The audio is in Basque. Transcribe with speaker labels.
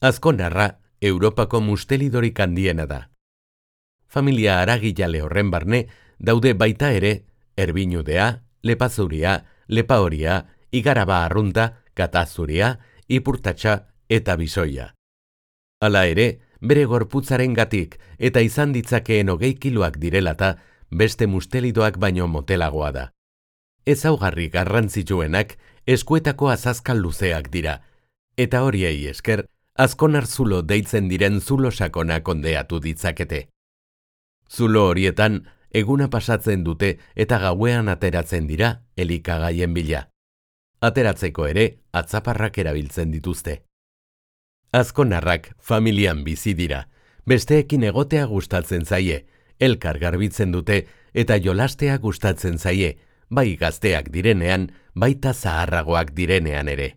Speaker 1: Azkonarra Europako mustelidorik handiena da. Familia aragilale horren barne daude baita ere erbinudea, lepazuria, lepahoria, igaraba arrunta, katazuria, ipurtatxa eta bisoia. Hala ere, bere gorputzarengatik eta izan ditzakeen 20 kiloak direlata, beste mustelidoak baino motelagoa da. Ezaugarri garrantzitsuenak eskuetako azazkal luzeak dira, eta horiei esker, azkonar zulo deitzen diren zulo sakonak ondeatu ditzakete. Zulo horietan, eguna pasatzen dute eta gauean ateratzen dira elikagaien bila. Ateratzeko ere, atzaparrak erabiltzen dituzte. Azkonarrak familian bizi dira, besteekin egotea gustatzen zaie, elkar garbitzen dute eta jolastea gustatzen zaie, bai gazteak direnean, baita zaharragoak direnean ere.